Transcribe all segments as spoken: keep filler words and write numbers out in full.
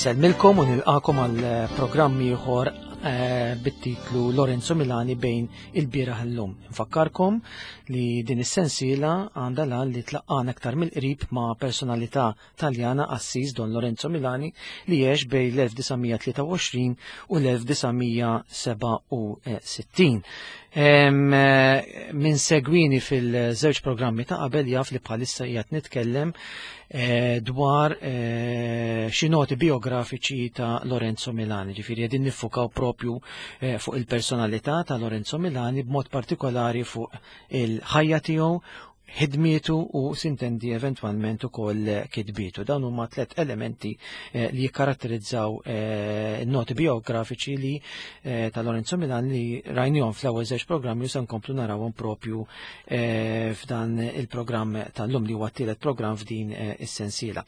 Insellmilkom u nilqakom għal programm ieħor eh, bit-titlu Lorenzo Milani bejn il-bieraħ illum. Nfakkarkom li din is-sensiela għandha lan li tlaqqana aktar mill-qrib ma' personalità Taljana Assis Don Lorenzo Milani li għex bejn l-elf disa' mija tlieta u għoxrin u l-elf disa' mija seba' u sittin. Em, eh, min segwini fil-żewġ programmi ta' qabel jaf li bħalissa qiegħed nitkellem, eh, dwar, eh, xi noti biografiċi ta' Lorenzo Milani, ġifieri qegħdin niffukaw propju, eh, fuq il-personalità ta' Lorenzo Milani b'mod partikolari fuq il-ħajja tiegħu, ħidmietu u sintendi eventwalment ukoll kitbietu. Dawn huma tliet elementi, eh, li jikkaratterizzaw, eh, noti biografiċi li, eh, ta' Lorenzo Milani li rajnihom fl-ewwel żewġ programmi u se nkomplu narawhom propju, eh, f'dan il-programm tal-lum li huwa t-tielet programm f'din, eh, is-sensiela.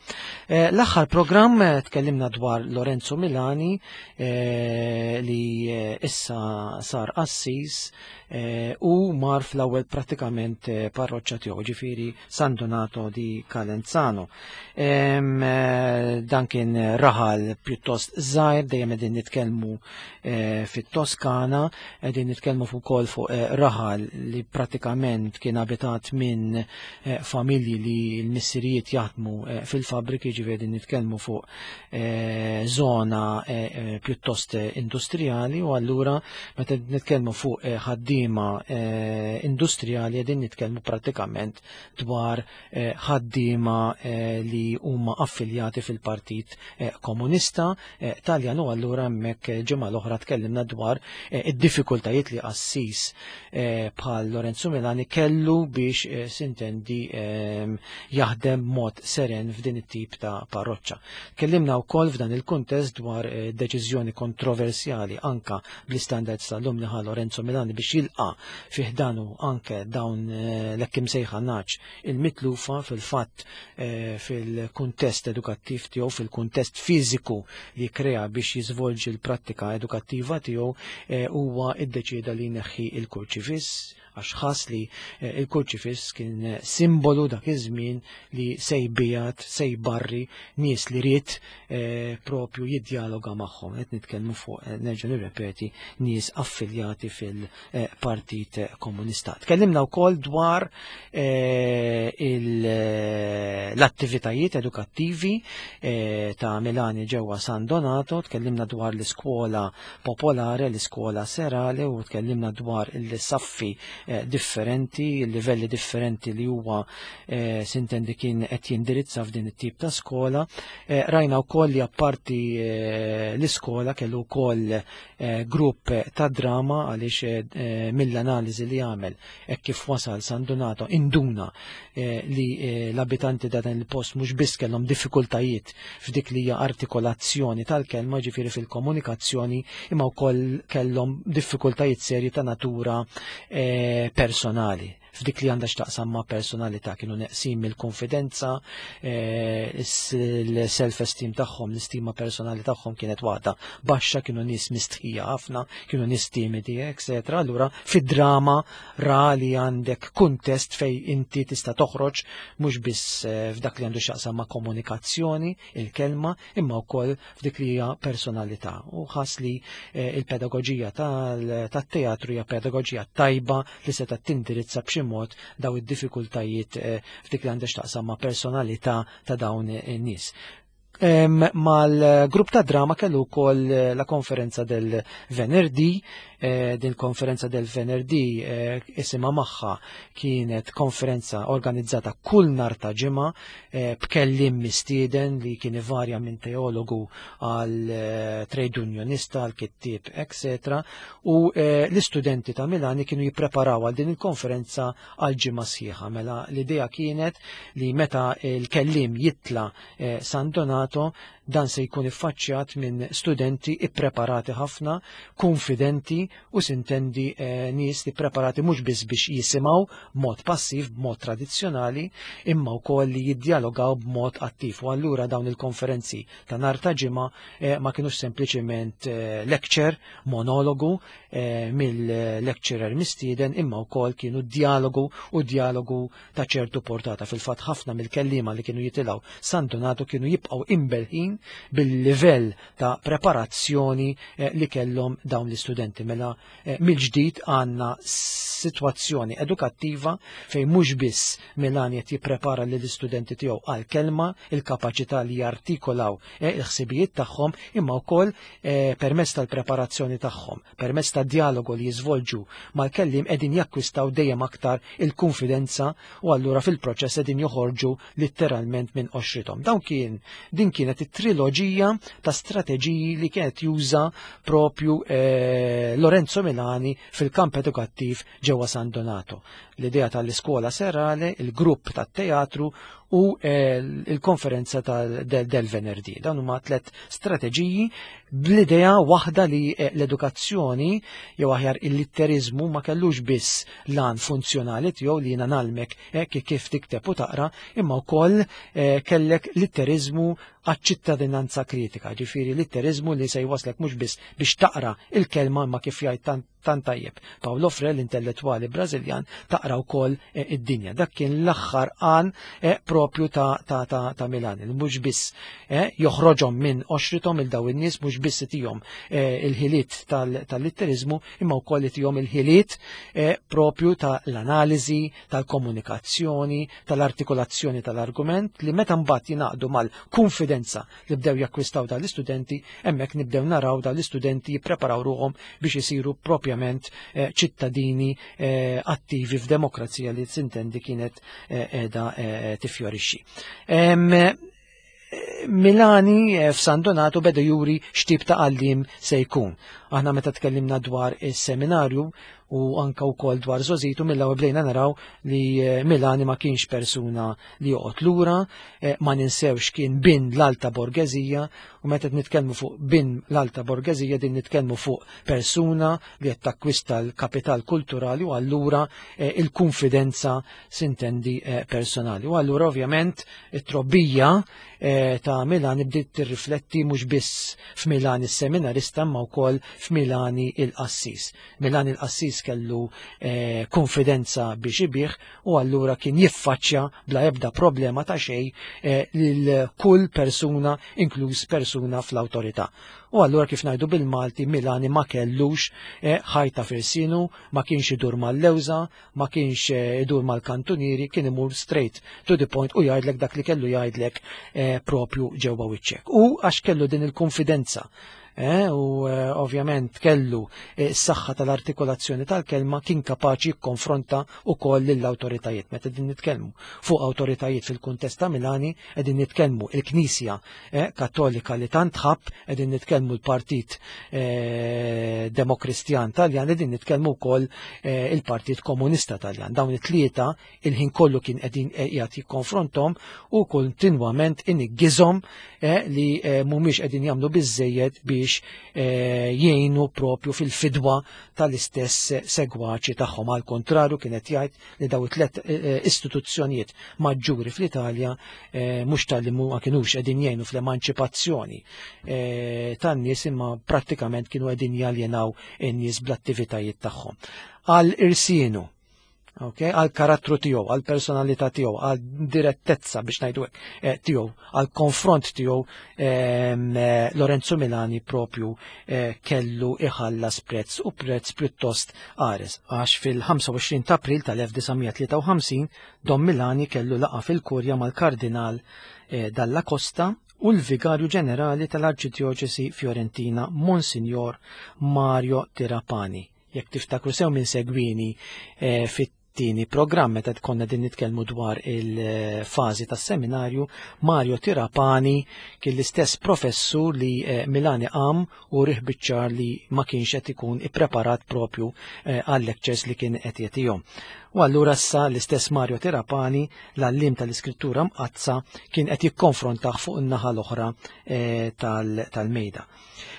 Eh, l-aħħar programm, eh, tkellimna dwar Lorenzo Milani, eh, li, eh, issa sar qassis, eh, u mar fl-ewwel prattikament, eh, parroċċa tiegħu, ġifieri San Donato di Calenzano. Em, eh, dan kien raħal pjuttost żgħir, dejjem qegħdin nitkellmu, eh, fit-Toskana, qegħdin nitkellmu fuq ukoll fuq, eh, raħal li prattikament kien abitat minn, eh, familji li l-missirijiet jaħdmu, eh, fil-fabbriki, ġifieri qegħdin nitkellmu fuq, eh, zona, eh, eh, pjuttost industrijali, u allura meta nitkellmu fuq, eh, ħaddiema, eh, industrijali qegħdin nitkellmu prattikament dwar, eh, ħaddiema, eh, li huma affiljati fil-Partit, eh, Komunista, eh, Taljan, u allura hemmhekk ġimgħa l-oħra tkellimna dwar, eh, id-diffikultajiet li qassis, eh, bħal Lorenzo Milani kellu biex, eh, sintendi, ehm, jaħdem mod seren f'din it-tip ta' parroċċa. Tkellimna wkoll f'dan il-kuntest dwar, eh, deċiżjoni kontroversjali anka bl-istandards tal-lum li ħa Lorenzo Milani biex jilqa' fih danu anke dawn, eh, l-hekk imsejħa naċ il-mitlufa fil-fatt, eh, fil-kuntest edukattiv tiegħu, fil-kuntest fiżiku li krea biex jiżvolġi l-prattika edukattiva tiegħu, eh, huwa iddeċieda li jneħħi il-kurċifiss għax ħass li, eh, il-kurċifiss kien simbolu dak iż-żmien li se jbijat, se jbarri nies li ried, eh, propju jiddjaloga magħhom. Qed nitkellmu fuq, eh, nerġa' nirrepeti, nies affiljati fil-Partit Komunista. Tkellimna wkoll dwar, eh, il-, l-attivitajiet edukattivi, eh, ta' Milani ġewwa San Donato, tkellimna dwar l-iskola popolare, l-iskola serale, u tkellimna dwar il-saffi, eh, differenti, il-livelli differenti li huwa, eh, sintendi kien qed jindirizza f'din it-tip ta' skola. Eh, rajna wkoll li apparti, eh, l-iskola kellu wkoll, eh, grupp ta' drama għaliex, eh, mill-analiżi li għamel hekk kif wasal San Donato induna, eh, li, eh, l-abitanti ta' dan il-post mhux biss kellhom diffikultajiet f'dik li hija artikolazzjoni tal-kelma, ġifieri fil-komunikazzjoni, imma wkoll kellhom diffikultajiet serji ta' natura, eh, personali. F'dik li għandha x'taqsam ma' personalità kienu neqsin mill-konfidenza, eh, l-self-esteem tagħhom, l-istima personali tagħhom kienet waħda baxxa, kienu nies mistħija ħafna, kienu nies timidi, eccetera. Allura fid-drama ra li għandek kuntest fej inti tista' toħroġ mhux biss, eh, f'dak li għandu x'jaqsam ma' komunikazzjoni, il-kelma, imma wkoll f'dik li hija personalità. U ħass li, eh, il-pedagoġija tal-, tat-teatru hija pedagoġija tajba li seta' tindirizza b'xi mod daw id-diffikultajiet, eh, f'dik li għandha x'taqsam ma' personalità ta' dawn in-nies. Em, mal-grupp ta' drama kellu wkoll, eh, la konferenza del Venerdì, eh, din konferenza del Venerdì, eh, isimha magħha kienet konferenza organizzata kull nar ta' ġimgħa, eh, b'kellim mistieden li kien ivarja minn teologu għal, eh, trade unionista, għal kittieb, eccetera. U, eh, l-istudenti ta' Milani kienu jippreparaw għal din il-konferenza għal ġimgħa sħiħa. Mela l-idea kienet li meta l-kellim jitla, eh, San Donato, dan se jkun iffaċċjat minn studenti ippreparati ħafna, konfidenti u sintendi, eh, nies li preparati mhux biss biex jisimgħu b'mod passiv, b'mod tradizzjonali, imma wkoll li jiddjalogaw b'mod attiv. U allura dawn il-konferenzi ta' nhar ta' ġimgħa, eh, ma kinux sempliċiment, eh, lecture, monologu, eh, mill-lecturer mistieden, imma wkoll kienu dialogu u dialogu ta' ċertu portata. Fil-fatt ħafna mill-kelliema li kienu jitilgħu San Donato kienu jibqgħu imbelħin żmien bil-livell ta' preparazzjoni eh, li kellhom dawn l-istudenti. Mela eh, mill-ġdid għandna sitwazzjoni edukattiva fejn mhux biss Milani qed jipprepara lill-istudenti tiegħu għal kelma, il-kapaċità li jartikolaw eh, il-ħsibijiet tagħhom, imma wkoll eh, permezz tal-preparazzjoni tagħhom, permezz tad-dialogu li jiżvolġu mal-kellim qegħdin jakkwistaw dejjem aktar il-konfidenza u allura fil-proċess qegħdin joħorġu letteralment minn qoxrithom. Dawn kien din kienet it-triloġija ta' strateġiji li kienet juża propju eh, Lorenzo Milani fil-kamp edukattiv ġewwa San Donato. L-idea tal-iskola serale, il-grupp tat-teatru u eh, il-konferenza del, del Venerdì. Dawn huma tliet strateġiji bl-idea waħda li eh, l-edukazzjoni jew aħjar il-litterizmu ma kellux biss lan funzjonali tiegħu li jiena nalmek eh, kif tikteb u taqra, imma wkoll kellek litterizmu għaċ-ċittadinanza kritika, ġifieri litterizmu li se jwaslek mhux biss biex taqra il-kelma imma kif jgħid tant tajjeb Paulo Freire, l-intellettwali Brażiljan, taqra wkoll id-dinja. Dak kien l-aħħar għan propju ta', ta, ta, ta' Milan, li mhux biss eh, joħroġhom minn qoxrithom il daw in-nies, mhux biss itihom eh, il-ħiliet tal-litterizmu, imma wkoll itihom il-ħiliet eh, propju tal-analiżi, tal-komunikazzjoni, tal-artikolazzjoni tal-argument li meta mbagħad jingħaqdu mal-konfidenza li bdew jakkwistaw dal-istudenti, hemmhekk nibdew naraw dal-istudenti jippreparaw ruhom biex isiru propjament eh, ċittadini eh, attivi f'demokrazija li sintendi kienet qiegħda eh, tifjorixxi. Milani f'San Donato beda juri x'tip ta' għallim se jkun. Aħna meta tkellimna dwar is-seminarju u anka wkoll dwar żgħożitu, mill-ewwel bdejna naraw li Milani ma kienx persuna li joqgħod lura, ma ninsewx kien bin l-alta borgezija, u meta nitkellmu fuq bin l-alta borgezija din nitkellmu fuq persuna li qed takkwista l-kapital kulturali u allura il-konfidenza sintendi personali. U allura ovvjament it-trobbija ta' Milani bdiet tirrifletti mhux biss f'Milani s-seminarista imma wkoll f'Milani il-qassis. Milani il-qassis kellu eh, konfidenza biex ibih u allura kien jiffaċċja bla ebda problema ta' xejn eh, lil kull persuna, inkluż persuna fl-awtorità. U allura kif ngħidu bil-Malti, Milani ma kellux eh, ħajta firsinu, ma kienx idur mal-lewża, ma kienx eh, idur mal-kantunieri, kien imur straight to the point u jgħidlek dak li kellu jgħidlek eh, propju ġewwa wiċċek. U għax kellu din il-konfidenza eh, u eh, ovvjament kellu eh, s-saħħa tal-artikolazzjoni tal-kelma, kien kapaċi jikkonfronta wkoll lill-awtoritajiet. Meta din nitkellmu fuq awtoritajiet fil-kuntest ta' Milani, qegħdin nitkellmu il-Knisja eh, Kattolika li tant ħabb, qegħdin nitkellmu l-Partit eh, Demokristjan Taljan, qegħdin nitkellmu wkoll eh, il-Partit Komunista Taljan. Dawn it-tlieta il-ħin kollu kien qegħdin qiegħed jikkonfrontom u kontinwament iniggizhom eh, li eh, mhumiex qegħdin jagħmlu biżejjed biex eh, jgħinu propju fil-fidwa tal-istess segwaċi tagħhom. Għal kontrarju kienet jgħid li daw it-tlet eh, istituzzjonijiet maġġuri fl-Italja eh, mhux tal-li ma kinux qegħdin jgħinu fl-emanċipazzjoni eh, tan-nies, imma prattikament kienu qegħdin jaljenaw in-nies bl-attivitajiet tagħhom. Għal irsienu, okay, għal karattru tiegħu, għal personalità tiegħu, għal direttezza biex ngħidu hekk eh, tiegħu, għal konfront tiegħu, eh, Lorenzo Milani propju eh, kellu iħallas prezz, u prezz pjuttost qares, għax fil-ħamsa u għoxrin ta' April tal-elf disa' mija tlieta u ħamsin Don Milani kellu laqa fil-kurja mal-Kardinal eh, Dalla Costa u l-Vigarju Ġenerali tal-Arċidjoċesi Fiorentina Monsignor Mario Tirapani. Jekk tiftakru sew minn segwini, eh, fit-tieni programm meta konna din nitkellmu dwar il-fażi tas-seminarju, Mario Tirapani kien l-istess professur li, eh, Milani qam u rih biċ-ċar li ma kienx qed ikun ippreparat propju, eh, għal-lectures li kien qed jagħtihom. U allura issa l-istess Mario Tirapani, l-għallim tal-Iskrittura Mqaddsa, kien qed jikkonfrontah fuq in-naħa l-oħra, eh, tal-, tal-mejda.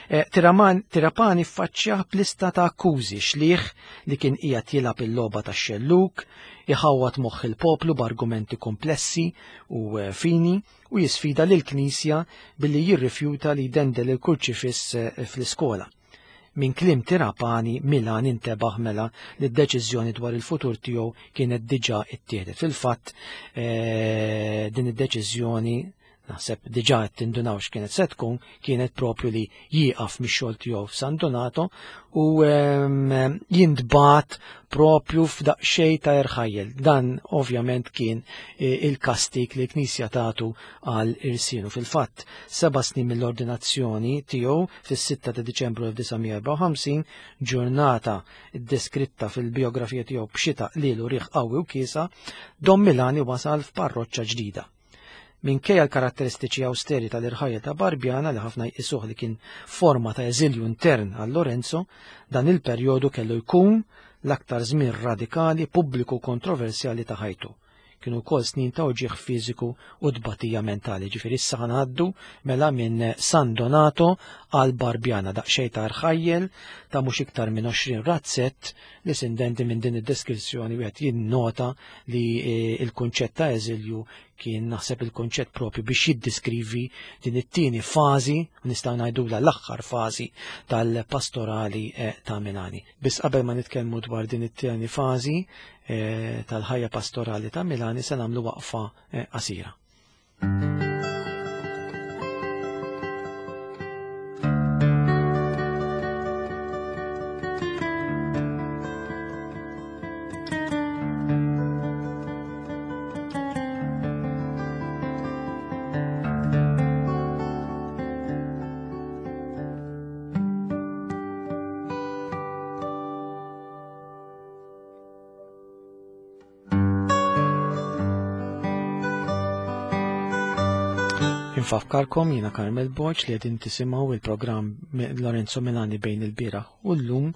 Eh, Tiraman, Tirapani ffaċċjah b'lista ta' akkużi xlieħ li kien qiegħed jilgħab il-logħba tax-xelluk, iħawwad moħħ il-poplu b'argumenti komplessi u, eh, fini, u jisfida lill-Knisja billi jirrifjuta li jdendel il-kurċifiss, eh, fl-iskola. Min kliem Tirapani, Milan intebaħ mela li d-deċiżjoni dwar il-futur tiegħu kienet diġà ittieħdet. Fil-fatt, eh, din id-deċiżjoni Naħseb diġà qed tindunaw x'kienet se tkun, kienet propju li jieqaf mix-xogħol tiegħu f'San Donato u jintbagħat propju f'daqsxejn ta' irħajjel. Dan ovvjament kien il-kastik li l-Knisja tagħtu għal irsienu. Fil-fatt, seba' snin mill-ordinazzjoni tiegħu fis-sitta ta' Diċembru elf disa' mija erbgħa u ħamsin, ġurnata deskritta fil-biografija tiegħu b'xita qliel u riħ qawwi u kiesa, Dom Milani wasal f'parroċċa ġdida. Minkejja l-karatteristiċi austeri tal-irħajja ta' Barbjana li ħafna jqisuh li kien forma ta' eżilju intern għal Lorenzo, dan il-perjodu kellu jkun l-aktar żmien radikali, pubbliku kontroversjali ta' ħajtu. Kienu wkoll snin ta' uġigħ fiżiku u tbatija mentali. Ġifieri issa ħanaddu mela minn San Donato għal Barbjana, daqsxejn ta' rħajjel ta' mhux iktar minn għoxrin razzett li sindendi minn din id-deskrizzjoni wieħed jinnota li il-kunċett ta' eżilju kien naħseb il-kunċett propju biex jiddiskrivi din it-tieni fażi, nistgħu ngħidulha l-aħħar fażi tal-pastorali ta' Milani. Biss qabel ma nitkellmu dwar din it-tieni fażi tal-ħajja pastorali ta' Milani se nagħmlu waqfa qasira. Infakkarkom jiena Carmel Borg li qegħdin tisimgħu il-programm Lorenzo Milani bejn il-bieraħ u llum,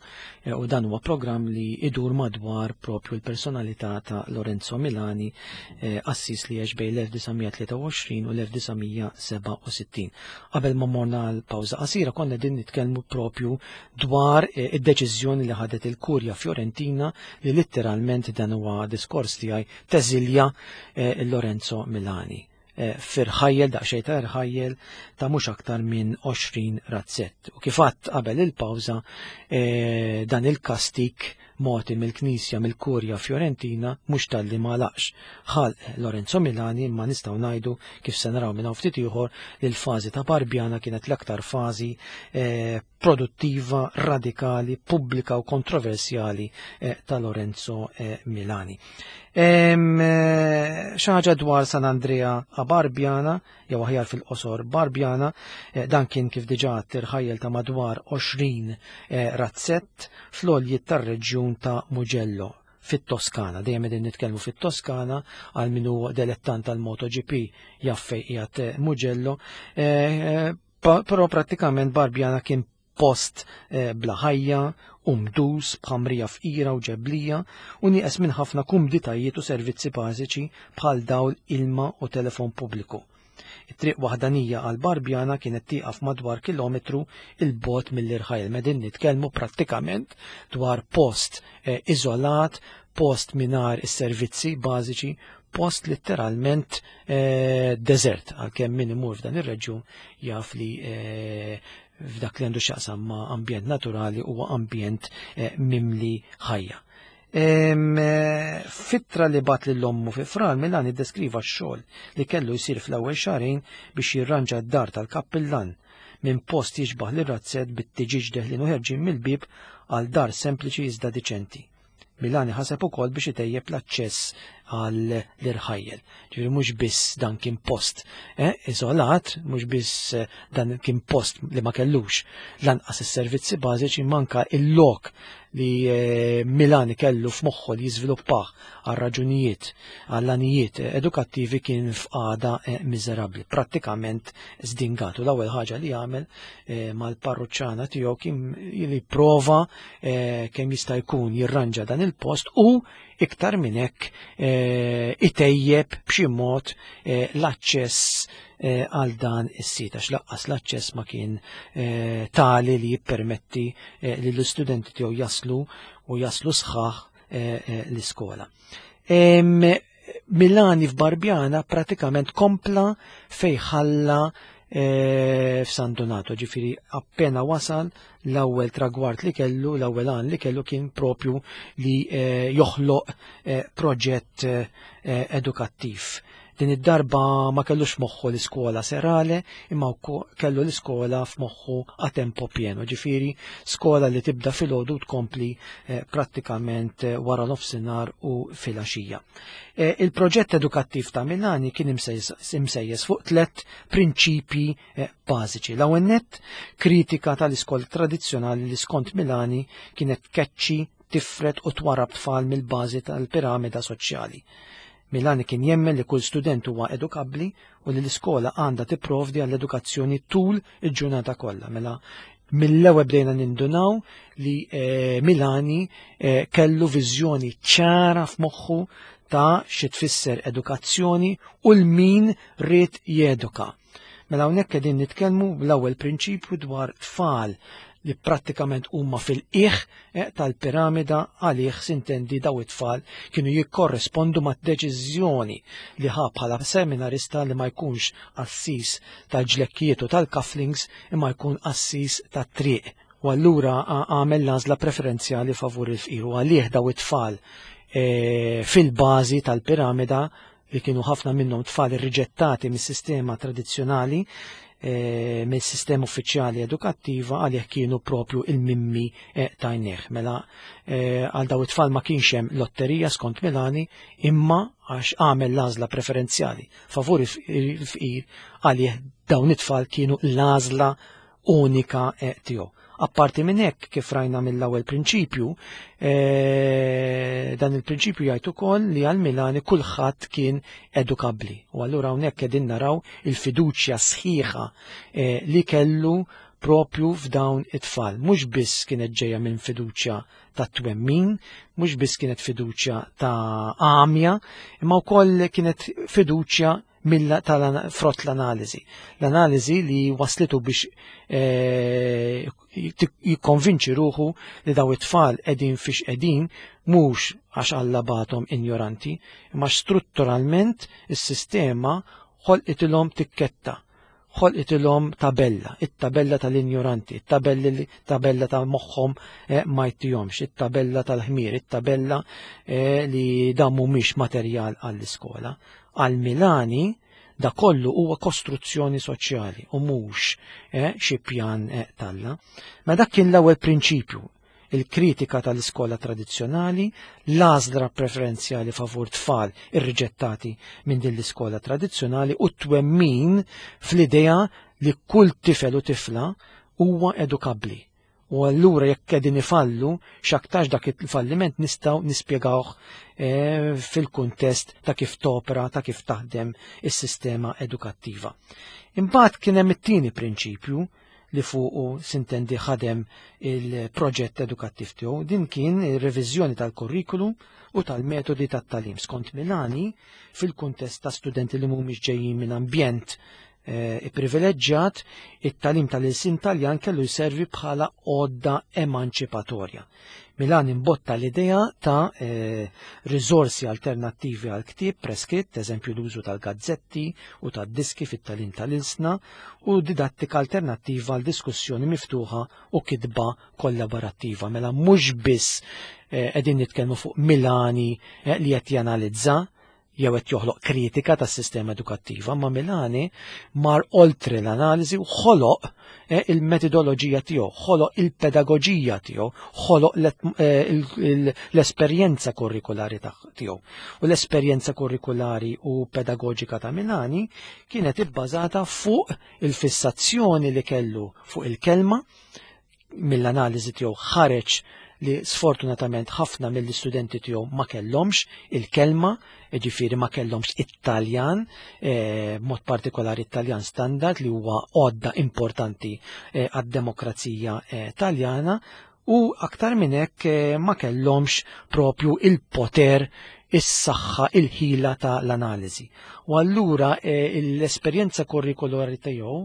u dan huwa programm li idur madwar propju l-personalità ta' Lorenzo Milani, qassis li għex bejn l-elf disa' mija tlieta u għoxrin u l-elf disa' mija seba' u sittin. Qabel ma morna għal pawża qasira konna qegħdin nitkellmu propju dwar id-deċiżjoni li ħadet il-Kurja Fiorentina li litteralment dan huwa diskors tiegħi teżilja Lorenzo Milani firħajjel, daqsxejn ta' irħajjel ta' mhux aktar minn għoxrin razzett. U kif għadt qabel il-pawża, dan il-kastik moti mill-Knisja mill-Kurja Fiorentina mhux talli ma laqx ħalq Lorenzo Milani, imma nistgħu ngħidu kif se naraw minn hawn ftit ieħor li l-fażi ta' Barbjana kienet l-aktar fażi produttiva, radikali, pubblika u kontroversjali ta' Lorenzo Milani. Xi ħaġa dwar San Andrea a Barbjana, jew aħjar fil-qosor Barbjana, dan kien kif diġà tirħajjel ta' madwar għoxrin razzett fl-għoljiet tar-reġjun ta' Mugello fit-Toskana. Dejjem qegħdin nitkellmu fit-Toskana għal min hu delettant tal-MotoGP jaf fejn qiegħed Mugello, però prattikament Barbjana kien post bla ħajja, umdus, b'ħamrija fqira u ġeblija, u nieqes minn ħafna kumditajiet u servizzi bażiċi bħal dawl, ilma u telefon pubbliku. It-triq waħdanija għal Barbjana kienet tieqaf madwar kilometru il-bogħod mill-irħajl. Medin nitkellmu prattikament dwar post iżolat, post mingħajr is-servizzi bażiċi, post letteralment deżert, għalkemm min imur f'dan ir-reġjun jaf li f'dak li għandu x'jaqsam ma' ambjent naturali huwa ambjent mimli ħajja. Fittra li bat lil ommu fi Frar, Milani ddeskriva x-xogħol li kellu jsir fl-ewwel xahrejn biex jirranġa d-dar tal-kappillan minn post jiġbaħ lir-razzett bit-tiġiġ deħlin u ħerġin mill-bieb għal dar sempliċi iżda diċenti. Milani ħaseb ukoll biex itejjeb l-aċċess għal l-irħajjel. Ġifieri mhux biss dan kien post eh, iżolat, mhux biss dan kien post li ma kellux lanqas is-servizzi bażiċi, manka il-lok li Milani kellu f'moħħu li jiżviluppah għal raġunijiet, għal għanijiet edukattivi kien f'qagħda miżerabbli, prattikament żdingat. U l-ewwel ħaġa li għamel mal-parruċċana tiegħu kien li prova kemm jista' jkun jirranġa dan il-post u iktar minn hekk itejjeb b'xi mod l-aċċess għal dan is-sit, għax laqqas l-aċċess ma kien tali li jippermetti li l-istudenti tiegħu jaslu u jaslu sħaħ l-iskola. Milani f'Barbjana pratikament kompla fej ħalla f'San Donato, ġifieri appena wasal l-ewwel tragward li kellu, l-ewwel għan li kellu kien propju li joħloq proġett edukattiv. Din id-darba ma kellux moħħu l-iskola serale, imma kellu l-iskola f'moħħu a tempo pieno, ġifieri skola li tibda filgħodu tkompli eh, prattikament eh, wara nofsinhar u filgħaxija. Eh, il-proġett edukattiv ta' Milani kien imsejjes fuq tlet prinċipji eh, bażiċi. L-ewwel nett, kritika tal-iskola tradizzjonali li skont Milani kienet tkeċċi, tifred u twarrab tfal mill-bażi tal-piramida soċjali. Milani kien jemmen li kull student huwa edukabbli u li l-iskola għandha tipprovdi għall-edukazzjoni tul il-ġurnata kollha. Mela mill-ewwel bdejna nindunaw li eh, Milani eh, kellu viżjoni ċara f'moħħu ta' xi tfisser edukazzjoni u l-min ried jeduka. Mela hawnhekk qegħdin nitkellmu bl-ewwel prinċipju dwar tfal li prattikament huma fil-qiegħ eh, tal-piramida, għalih sintendi daw it-tfal kienu jikkorrespondu ma' deċiżjoni li ħa bħala seminarista li ma jkunx qassis tal-ġlekkijiet u tal-cufflinks imma jkun qassis tat-triq. U allura għamel l-għażla preferenzjali favur il-fqir u għalih daw it-tfal eh, fil-bażi tal-piramida li kienu ħafna minnhom tfal irriġettati mis-sistema tradizzjonali, e, mill-sistema uffiċjali edukattiva, għalih kienu propju il-mimmi e, tajnieh. Mela e, għal daw it-tfal ma kienx hemm lotterija skont Milani, imma għax għamel l-għażla preferenzjali favur il-fqir, għalih dawn it-tfal kienu l-għażla unika e, tiegħu. Apparti minn hekk, kif rajna mill-ewwel prinċipju, e, dan il-prinċipju jgħid ukoll li għal Milani kulħadd kien edukabbli. U allura hawnhekk qegħdin naraw il-fiduċja sħiħa e, li kellu propju f'dawn it-tfal. Mhux biss kienet ġejja minn fiduċja ta' twemmin, mhux biss kienet fiduċja ta' għamja, imma wkoll kienet fiduċja frott l-analiżi. L-analiżi li waslitu biex eh, jikkonvinċi ruħu li daw it-tfal qegħdin fiex qegħdin mhux għax Alla bagħathom injoranti, imma strutturalment is-sistema ħolqitilhom tikketta, ħolqitilhom tabella, it-tabella tal-injoranti, it-tabella ta' moħħhom eh, ma jtihomx, it-tabella tal-ħmir, it-tabella eh, li dan mhumiex materjal għall-iskola. Għal Milani da kollu huwa kostruzzjoni soċjali u mhux eh, xi pjan eh, talla. Ma dak kien l-ewwel prinċipju, il-kritika tal-iskola tradizzjonali, l-għażla preferenzjali favur tfal irriġettati minn din l-iskola tradizzjonali u t-twemmin fl-idea li kull tifel u tifla huwa edukabbli. U allura jekk qegħdin ifallu, x'aktarx dak il-falliment nistgħu nispjegawh eh, fil-kuntest ta' kif topera, ta' kif taħdem is-sistema edukattiva. Imbagħad kien hemm it-tieni prinċipju li fuqu sintendi ħadem il-proġett edukattiv tiegħu. Din kien ir-reviżjoni tal-kurrikulu u tal-metodi tat-tagħlim. Skont Milani, fil-kuntest ta' studenti li mhumiex ġejjin minn ambjent eh, ipprivileġġjat, it-tagħlim tal-ilsien Taljan kellu jservi bħala għodda emanċipatorja. Milani imbotta l-idea ta' eh, riżorsi alternattivi għal ktieb preskritt, eżempju l-użu tal-gazzetti u tad-diski fit-tagħlim tal-ilsna, u didattika alternattiva għal diskussjoni miftuħa u kitba kollaborattiva. Mela mhux biss eh, qegħdin nitkellmu fuq Milani eh, li qed janalizza jew qed joħloq kritika tas-sistema edukattiva, ma Milani mar oltre l-analiżi u ħoloq eh, il-metodoloġija tiegħu, ħoloq il-pedagoġija tiegħu, ħoloq eh, l-esperjenza kurrikulari tiegħu. U l-esperjenza kurrikulari u pedagoġika ta' Milani kienet ibbażata fuq il-fissazzjoni li kellu fuq il-kelma. Mill-analiżi tiegħu ħareġ li sfortunatament ħafna mill-istudenti tiegħu ma kellhomx il-kelma, jiġifieri ma kellhomx it-Taljan, eh, mod partikolari it-Taljan standard li huwa għodda importanti eh, għad-demokrazija eh, Taljana, u aktar minn hekk eh, ma kellhomx propju il-poter, is-saħħa, il-ħila ta' l-analiżi. U allura eh, l-esperjenza kurrikulari tiegħu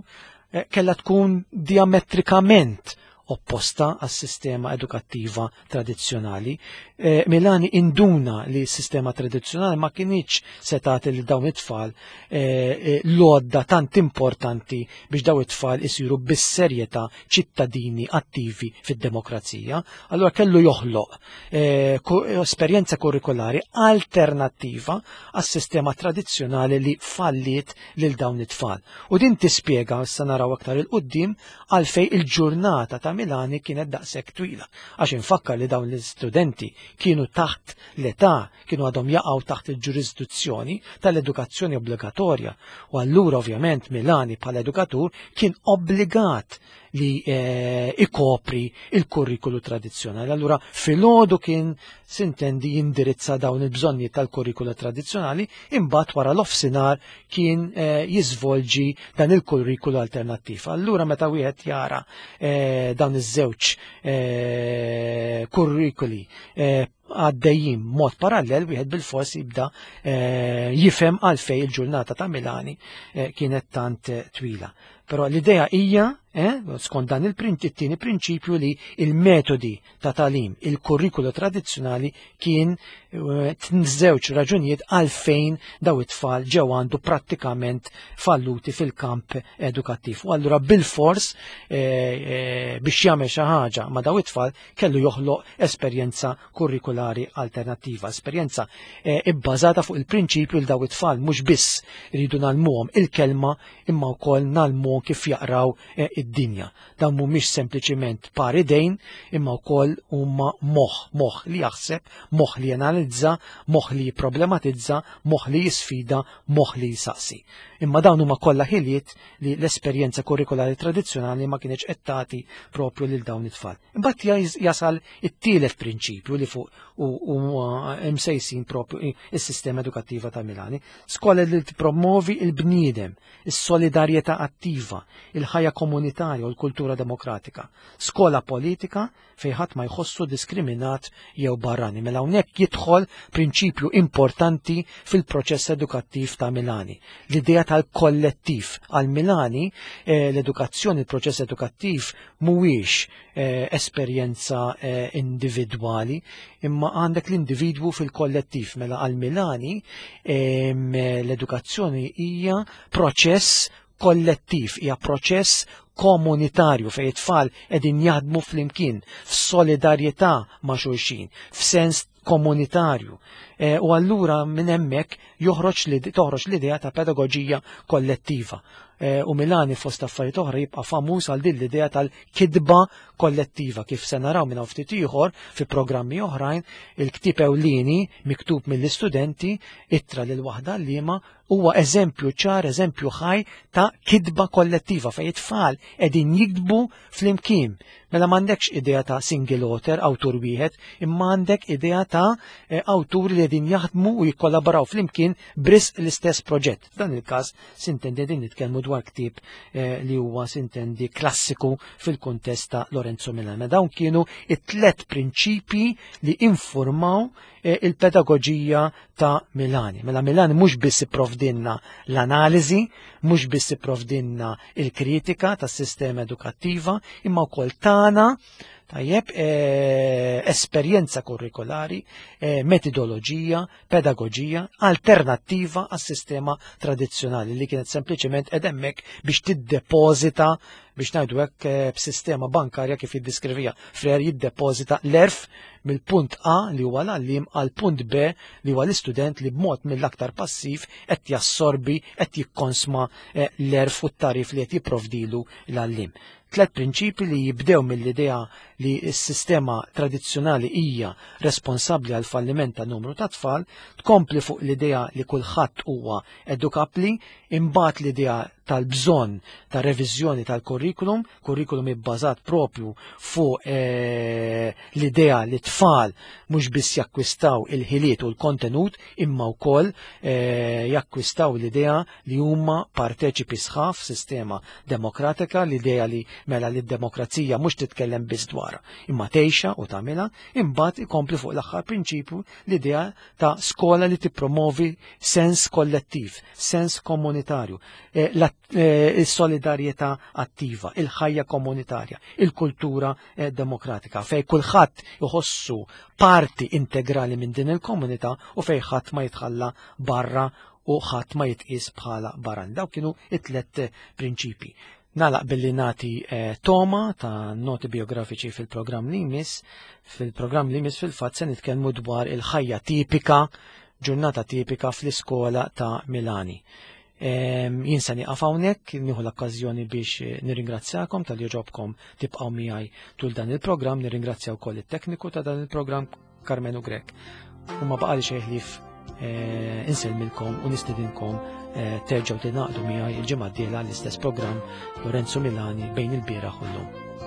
eh, kellha tkun diametrikament opposta għas-sistema edukattiva tradizzjonali. Eh, Milani induna li s-sistema tradizzjonali ma kinitx se tagħti lil dawn it-tfal eh, eh, l-għodda tant importanti biex dawn it-tfal isiru bis-serjetà ċittadini attivi fid-demokrazija. Allura kellu joħloq eh, esperjenza kurrikulari alternattiva għas-sistema tradizzjonali li falliet lil dawn it-tfal. U din tispjega, issa naraw aktar il-qoddim, għalfej il-ġurnata ta' Milani kienet daqshekk twila. Għax infakkar li dawn l-istudenti kienu taħt l-età, kienu għadhom jaqgħu taħt il-ġurisdizzjoni tal-edukazzjoni obbligatorja. U allura ovvjament Milani bħala edukatur kien obbligat li eh, ikopri il-kurrikulu tradizzjonali. Allura filgħodu kien sintendi jindirizza dawn il-bżonnijiet tal-kurrikulu tradizzjonali, imbagħad wara l-offsinar kien eh, jiżvolġi dan il-kurrikulu alternattiv. Allura meta wieħed jara eh, dawn iż-żewġ eh, kurrikuli eh, għaddejjin mod parallel, wieħed bil-fors jibda eh, jifhem għalfej il-ġurnata ta' Milani eh, kienet tant eh, twila. Però l-idea hija, eh, skont dan il-tieni prinċipju, li il-metodi ta' tagħlim, il-kurrikulu tradizzjonali kien żewġ raġunijiet għalfejn daw it-tfal ġew għandu prattikament falluti fil-kamp edukattiv. U allura bil-fors eh, eh, biex jagħmel xi ħaġa ma' daw it-tfal kellu joħloq esperjenza kurrikulari alternattiva, esperjenza eh, ibbażata fuq il-prinċipju li daw it-tfal mhux biss iridu ngħallmuhom il-kelma imma wkoll ngħallmuhom kif jaqraw eh, id-dinja. Dan mhumiex sempliċiment par idejn imma wkoll huma moħħ, moħħ li jaħseb, moħħ li janalizza, moħħ li jipproblematizza, moħħ li jisfida, moħħ li jisaqsi. Imma dawn huma kollha ħiliet li l-esperjenza kurrikulari tradizzjonali ma kienx qed tagħti propju lil dawn it-tfal. Imbagħad jasal it-tielet prinċipju li fuq u msejsin propju is-sistema edukattiva ta' Milani. Skola li tippromovi il-bniedem, is-solidarjetà attiva, il-ħajja komunitarja u l-kultura demokratika. Skola politika fejn ħadd ma jħossu diskriminat jew barrani. Mela hawnhekk jidħol prinċipju importanti fil-proċess edukattiv ta' Milani. L-idea tal-kollettiv. Għal Milani eh, l-edukazzjoni, il-proċess edukattiv mhuwiex eh, esperjenza eh, individwali, imma għandek l-individwu fil-kollettiv. Mela għal Milani ehm, l-edukazzjoni hija proċess kollettiv, hija proċess komunitarju fejn it-tfal qegħdin jaħdmu flimkien f'solidarjetà ma' xulxin, f'sens komunitarju. E, u allura minn hemmhekk joħroġ li toħroġ l-idea ta' pedagoġija kollettiva. E, u Milani fost affarijiet oħra jibqa' famuż għal din l-idea tal-kidba kollettiva, kif se naraw minn ftit ieħor fi programmi oħrajn. Il-ktieb ewlieni miktub mill-istudenti, Ittra lil waħda għalliema, huwa eżempju ċar, eżempju ħaj ta' kidba kollettiva fejn it-tfal qegħdin jiktbu flimkien. Mela m'għandekx idea ta' single author, awtur wieħed, imma għandek idea ta' eh, awturi li qegħdin jaħdmu u jikkollaboraw flimkien bris l-istess proġett. F'dan il-każ sintendi din nitkellmu dwar ktieb eh, li huwa sintendi klassiku fil-kuntest ta' Lorenzo Milani. Dawn kienu it-tlet prinċipji li informaw eh, il-pedagoġija ta' Milani. Mela Milani mhux biss ipprovdinna l-analiżi, mhux biss ipprovdinna il-kritika tas-sistema edukattiva, imma wkoll tagħna tajjeb eh, esperjenza kurrikulari, eh, metodoloġija, pedagoġija alternattiva għas-sistema tradizzjonali li kienet sempliċement edemmek biex tiddepożita, biex ngħidu hekk, eh, b'sistema bankarja kif jiddiskrivija Freire, jiddepożita l-erf mill-punt A li huwa l-għallim għal punt B li huwa l-istudent li b'mod mill-aktar passiv qed jassorbi, qed jikkonsma eh, l-erf u t-tarif li qed jipprovdilu l-għallim. Tlet prinċipi li jibdew mill-idea li s-sistema tradizzjonali hija responsabbli għal falliment ta' numru ta' tfal, tkompli fuq l-idea li kulħadd huwa edukabli, imbagħad l-idea tal-bżonn ta' reviżjoni tal-kurrikulum, kurrikulum ibbażat propju fuq eh, l-idea li tfal mhux biss jakkwistaw il-ħiliet u l-kontenut, imma wkoll eh, jakkwistaw l-idea li huma parteċipi sħaf sistema demokratika, l-idea li mela li d-demokrazija mhux titkellem biss dwar dwarha, imma tgħixha u tagħmilha, imbagħad ikompli fuq l-aħħar prinċipju l-idea ta' skola li tippromovi sens kollettiv, sens komunitarju, eh, eh, il-solidarjetà attiva, il-ħajja komunitarja, il-kultura eh, demokratika, fej kulħadd iħossu parti integrali minn din il-komunità u fej ħadd ma jitħalla barra u ħadd ma jitqis bħala barran. Daw kienu it-tlet prinċipi. Nagħlaq billi nagħti eh, toma ta' noti biografiċi fil-programm li jmiss. Fil-programm li jmiss fil-fatt se nitkellmu dwar il-ħajja tipika, ġurnata tipika fl-iskola ta' Milani. Jien se nieqaf hawnhekk, nieħu l-okkażjoni biex eh, nirringrazzjakom talli għoġobkom tibqgħu miegħi tul dan il-programm, nirringrazzja wkoll it-tekniku ta' dan il-programm Karmenu Grek. U ma baqali xejn ħlief eh, insellmilkom u nistedinkom eh, terġgħu tingħaqdu miegħi il-ġimgħa d-dieħla l-istess programm Lorenzo Milani bejn il-bieraħ u llum.